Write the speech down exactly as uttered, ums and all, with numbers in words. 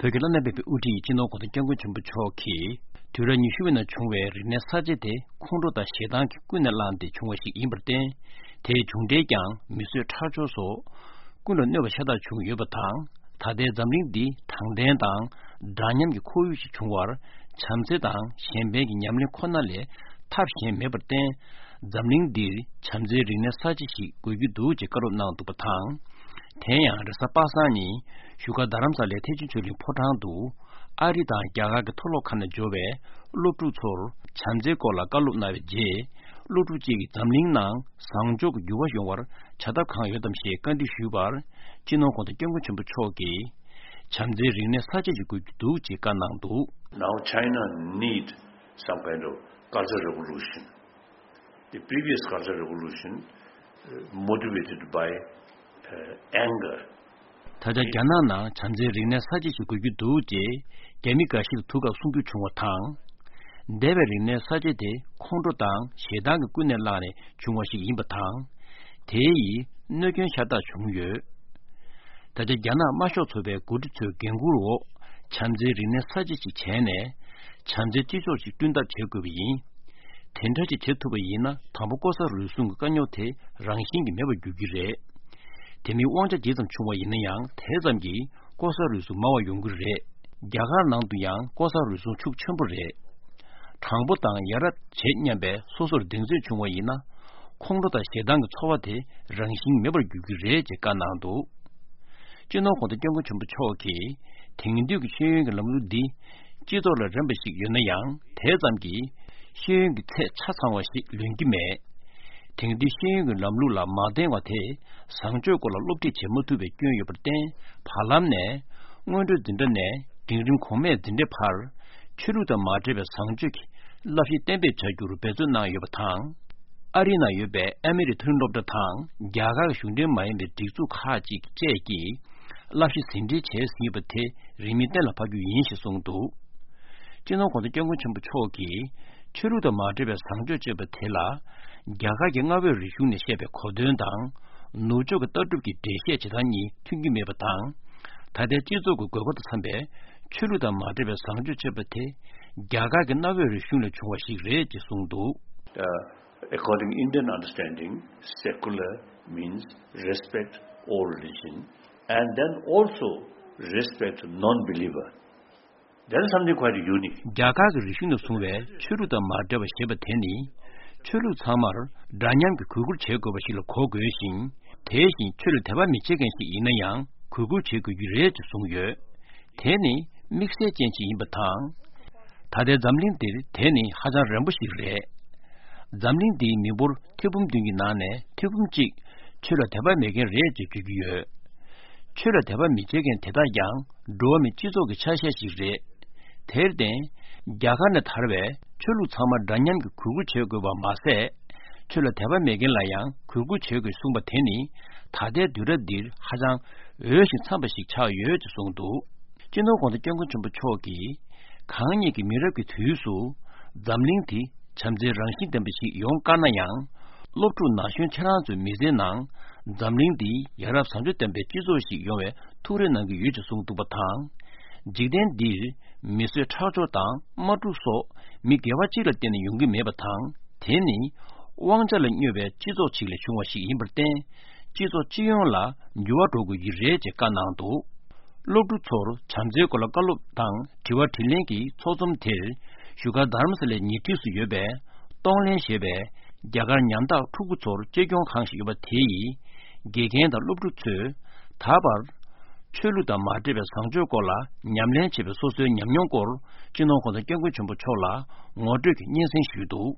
བོད་ཀྱི་བླ་ན་མེད་པའི་དབུ་ཁྲིད་སྤྱི་ནོར་༧གོང་ས་༧སྐྱབས་མགོན་ཆེན་པོ་མཆོག་གིས་དུས་རབས་ཉི་ཤུ་པའི་ནང་བྱུང་བའི་རིག་གནས་གསར་བརྗེ་དེ་ཁོང་ཁྲོ་དང་ཞེ་སྡང་གིས་ཀུན་ནས་བསླངས་ཏེ་བྱུང་བ་ཞིག་ཡིན་པར་བརྟེན། དེའི་མཇུག་འབྲས་ཀྱང་མི་གསོད་ཁྲག་སྦྱོར་སོགས་ཀུན་ལ་གནོད་པ་ཤ་སྟག་བྱུང་ཡོད་པ་དང་། ད་ལྟའི་འཛམ་གླིང་འདི་དྲང་བདེན་དང་འདྲ་མཉམ་གྱི་ཁོར་ཡུག་ཞིག་བྱུང་བར་བྱམས་བརྩེ་དང་གཞན་ཕན་གྱི་ཉམས་ལེན་ཁོ་ན་ལས་ཐབས་གཞན་མེད་པར་བརྟེན། འཛམ་གླིང་འདིར་བྱམས་བརྩེའི་རིག་གནས་གསར་བརྗེ་ཞིག་དགོས་ཀྱི་འདུག་ཅེས་བཀའ་སློབ་གནང་འདུག་པ་དང་། དེ་ཡང་རེས་གཟའ་པ་སངས་ཉིན་བཞུགས་སྒར་རྡ་རམ་ས་ལའི་ཐེག་ཆེན་ཆོས་གླིང་ཕོ་བྲང་དུ་ཨ་རི་དང་རྒྱ་གར་གྱི་མཐོ་སློབ་ཁག་ནས་འབྱོར་བའི་སློབ་ཕྲུག་ཚོར་བྱམས་བརྩེའི་སྐོར་ལ་བཀའ་སློབ་གནང་བའི་རྗེས། སློབ་ཕྲུག་གཅིག་གིས་འཛམ་གླིང་ནང་བཟང་ཕྱོགས་ཀྱི་འགྱུར་བ་ཡོང་བར་བྱ་ཐབས་གང་ཡོད་དམ་ཞེས་བཀའ་འདྲི་ཞུས་པར། སྤྱི་ནོར་༧གོང་ས་༧སྐྱབས་མགོན་ཆེན་པོ་མཆོག་གིས། བྱམས་བརྩེའི་རིག་གནས་གསར་བརྗེ་ཞིག་དགོས་ཀྱི་འདུག་ཅེས་བཀའ་གནང་འདུག། Now China need some kind of cultural revolution. The previous cultural revolution, uh, motivated by, uh, anger. ད་ཆ་རྒྱ་ནག་ནང་བྱམས་བརྩེའི་རིག་གནས་གསར་བརྗེ་ཞིག་དགོས་ཀྱི་འདུག་ཅེས་རྒྱ་མི་འགའ་ཞིག་ལ་ཐུག་སྐབས་གསུང་རྒྱུ་བྱུང་བ་དང་། འདས་པའི་རིག་གནས་གསར་བརྗེ་དེ་ཁོང་ཁྲོ་དང་ཞེ་སྡང་གིས་ཀུན་ནས་བསླངས་ནས་བྱུང་བ་ཞིག་ཡིན་པ་དང་། དེ་ཡིས་གནོད་སྐྱོན་ཤ་སྟག་བྱུང་ཡོད། ད་ཆ་རྒྱ་ནག་དམར་ཤོག་ཚོགས་པའི་འགོ་ཁྲིད་ཚོའི་འགན་འཁུར་འོག་བྱམས་བརྩེའི་རིག་གནས་གསར་བརྗེ་ཞིག་བྱས་ནས། བྱམས་བརྩེའི་སྤྱི་ཚོགས་ཤིག་བསྐྲུན་ཐབས་བྱེད་དགོས་པ་ཡིན། དེ་འདྲ་ཞིག་བྱེད་ཐུབ་པ་ཡིན་ན། དང་པོ་ལྐོག་ཟ་རུལ་སུངས་ཀྱི་དཀའ་རྙོག་དེ་རང་བཞིན་གྱིས་མེད་པར་འགྱུར་གྱི་རེད། དེ་མིན་དབང་ཆ་ཇི་ཙམ་ཆུང་བ་ཡིན་ན་ཡང་། དེ་ཙམ་གྱིས་ལྐོག་ཟ་རུལ་སུངས་མང་བ་ཡོང་གི་རེད། རྒྱ་གར་ནང་དུ་ཡང་ལྐོག་ཟ་རུལ་སུངས་ཤུགས་ཆེན་པོ་རེད། དྲང་པོ་དང་ཡ་རབས་བྱེད་སྙམ་པའི་སོ་སོར་གདེང་ཚོད་བྱུང་བ་ཡིན་ན། ཁོང་ཁྲོ་དང་ཞེ་སྡང་གི་ཚོར་བ་དེ་རང་བཞིན་མེད་པར་འགྱུར་གྱི་རེད་ཅེས་བཀའ་གནང་འདུག། སྤྱི་ནོར་༧གོང་ས་༧སྐྱབས་མགོན་ཆེན་པོ་མཆོག་གིས། དེང་དུས་ཀྱི་ཤེས་ཡོན་གྱི་ལམ་ལུགས་འདི་སྤྱི་ཚོགས་ལ་རན་པ་ཞིག་ཡོད་ན་ཡང་། དེ་ཙམ་གྱིས་ཤེས་ཡོན་གྱི་ཚད་ཆ་ཚང་བ་ཞིག་ལོན་གྱི་མེད། དེང་དུས་ཤེས་ཡོན་གྱི་ལམ་ལུགས་ལ་མ་བརྟེན་པ་དེ་བཟང་སྤྱོད་སྐོར་ལ་སློབ་ཁྲིད་བྱེད་མ་ཐུབ་པའི་སྐྱོན་ཡོད་པར་བརྟེན། བར་ལམ་ནས་སྔོན་འགྲོའི་འཛིན་གྲྭ་ནས་འབྲིང་རིམ་གོང་མའི་འཛིན་གྲྭའི་བར། ཆོས་ལུགས་དང་མ་འབྲེལ་བའི་བཟང་སྤྱོད་ཀྱི་བསླབ་གཞི་གཏན་འབེབས་བྱ་རྒྱུར་འབད་བརྩོན་གནང་ཡོད་པ་དང་། ཨ་རི་ནང་ཡོད་པའི་ཨ་མེ་རི་མཐོ་རིམ་སློབ་གྲྭ་དང་རྒྱ་གར་གྱི་གཞུང་འབྲེལ་མ་ཡིན་པའི་སྒྲིག་འཛུགས་ཁག་ཅིག་བཅས་ཀྱིས་བསླབ་གཞི་ཟིན་བྲིས་བྱས་ཟིན་ཡོད་པ་དེ་རིང་མིན་གཏན་ལ་ཕབ་རྒྱུ་ཡིན་ཞེས་གསུངས་འདུག། སྤྱི་ནོར་༧གོང་ས་༧སྐྱབས་མགོན་ཆེན་པོ་མཆོག་གིས། ཆོས་ལུགས་དང་མ་འབྲེལ་བའི་བཟང་སྤྱོད་ཅེས་པ་དེ་ལ། རྒྱ་གར་གྱི་གནའ་བོའི་རིག་གཞུང་ནས་བཤད་པའི་གོ་དོན་དང་། ནུབ་ཕྱོགས་ཀྱི་ལྟ་གྲུབ་ཀྱི་འགྲེལ་བཤད་བྱེད་སྟངས་གཉིས་མཐུན་གྱི་མེད་པ་དང་། ད་ལྟའི་སྤྱི་ཚོགས་ཀྱི་དགོས་མཁོ་དང་འཚམ་པའི་ཆོས་ལུགས་དང་མ་འབྲེལ་བའི་བཟང་སྤྱོད་ཅེས་པ་དེ། རྒྱ་གར་གྱི་གནའ་བོའི་རིག་གཞུང་ལས་བྱུང་བ་ཞིག་རེད་ཅེས་གསུངས་འདུག། Uh, according Indian understanding, secular means respect all religion and then also respect non-believer. That is something quite unique. རྒྱ་གར་གྱི་རིག་གཞུང་ནས་བཟུང་བའི་ཆོས་ལུགས་དང་མ་འབྲེལ་བ་ཞེས་པ་དེ་ནི། ཆོས་ལུགས་ཚང་མར་འདྲ་མཉམ་གྱི་གུས་བཀུར་བྱེད་དགོས་པ་ཞིག་ལ་གོ་དགོས་ཤིང་། དེ་བཞིན་ཆོས་ལ་དད་པ་མི་བྱེད་མཁན་ཞིག་ཡིན་ན་ཡང་གུས་བཀུར་བྱེད་དགོས་ཀྱི་རེད་ཅེས་གསུངས་ཡོད། དེ་ནི་དམིགས་བསལ་ཅན་ཞིག་ཡིན་པ་དང་། ད་ལྟའི་འཛམ་གླིང་འདིར་དེ་ནི་ཧ་ཅང་རན་པོ་ཞིག་རེད། འཛམ་གླིང་འདིའི་མི་འབོར་ཐེར་འབུམ་བདུན་གྱི་ནང་ནས་ཐེར་འབུམ་གཅིག་ཆོས་ལ་དད་པ་མེད་མཁན་རེད་ཅེས་བརྗོད་ཀྱི་ཡོད། ཆོས་ལ་དད་པ་མི་བྱེད་མཁན་དེ་དག་ཀྱང་འགྲོ་བ་མིའི་སྤྱི་ཚོགས་ཀྱི་ཆ་ཤས་ཤིག་རེད། དེར་བརྟེན། རྒྱ་གར་ནས་དར་བའི་ཆོས་ལུགས་ཚང་མ་འདྲ་མཉམ་གྱི་གུས་བཀུར་བྱེད་དགོས་པ་མ་ཟད། ཆོས་ལ་དད་པ་མེད་མཁན་ལ་ཡང་གུས་བཀུར་བྱེད་དགོས་གསུངས་པ་དེ་ནི་ད་ལྟའི་དུས་རབས་འདིར་ཧ་ཅང་འོས་ཤིང་འཚམས་པ་ཞིག་ཆགས་ཡོད་ཅེས་གསུངས་འདུག། སྤྱི་ནོར་༧གོང་ས་༧སྐྱབས་མགོན་ཆེན་པོ་མཆོག་གིས། གང་ཉིད་ཀྱི་མི་རབས་ཀྱི་དུས་སུ་འཛམ་གླིང་འདི་བྱམས་བརྩེའི་རང་བཞིན་ལྡན་པ་ཞིག་ཡོང་དཀའ་ན་ཡང་། སློབ་ཕྲུག་ན་གཞོན་ཁྱེད་རང་ཚོའི་མི་ཚེའི་ནང་འཛམ་གླིང་འདི་ཡ་རབས་བཟང་སྤྱོད་ལྡན་པའི་སྤྱི་ཚོགས་ཤིག་ཡོང་བའི་ཐུགས་རེ་གནང་གི་ཡོད་ཅེས་གསུངས་འདུག་པ་དང་། འཇིག་རྟེན་འདིར་མི་གསོད་ཁྲག་སྦྱོར་དང་དམག་འཁྲུག་སོགས་མི་སྒེར་བ་གཅིག་ལ་བརྟེན་ནས་ཡོང་གི་མེད་པ་དང་། དེ་ནི་དབང་ཆ་ལ་སྨྱོ་བའི་སྤྱི་ཚོགས་ཤིག་ལས་བྱུང་བ་ཞིག་ཡིན་པར་བརྟེན། སྤྱི་ཚོགས་སྤྱི་ཡོངས་ལ་འགྱུར་བ་འགྲོ་དགོས་ཀྱི་རེད་ཅེས་བཀའ་གནང་འདུག། སློབ་ཕྲུག་ཚོར་བྱམས་བརྩེའི་སྐོར་ལ་བཀའ་སློབ་དང་དྲི་བ་དྲིས་ལན་གྱི་ཚོགས་འཛོམས་དེར། བཞུགས་སྒར་རྡ་རམ་ས་ལའི་ཉེ་འཁྲིས་སུ་ཡོད་པའི་གཏོང་ལེན་ཞེས་པའི་རྒྱ་གར་ཉམ་ཐག་ཕྲུ་གུ་ཚོར་གཅེས་སྐྱོང་ཁང་ཞིག་ཡོད་པ་དེ་ཡིས། དགེ་རྒན་དང་སློབ་ཕྲུག་ཚོས་ད་བར་ཆོས་ལུགས་དང་མ་འབྲེལ་བའི་བཟང་སྤྱོད་སྐོར་ལ་ཉམས་ལེན་བྱས་པའི་སོ་སོའི་ཉམས་མྱོང་སྐོར་སྤྱི་ནོར་༧གོང་ས་༧སྐྱབས་མགོན་ཆེན་པོ་མཆོག་ལ་ངོ་སྤྲོད་ཀྱི་སྙན་སེང་ཞུས་འདུག།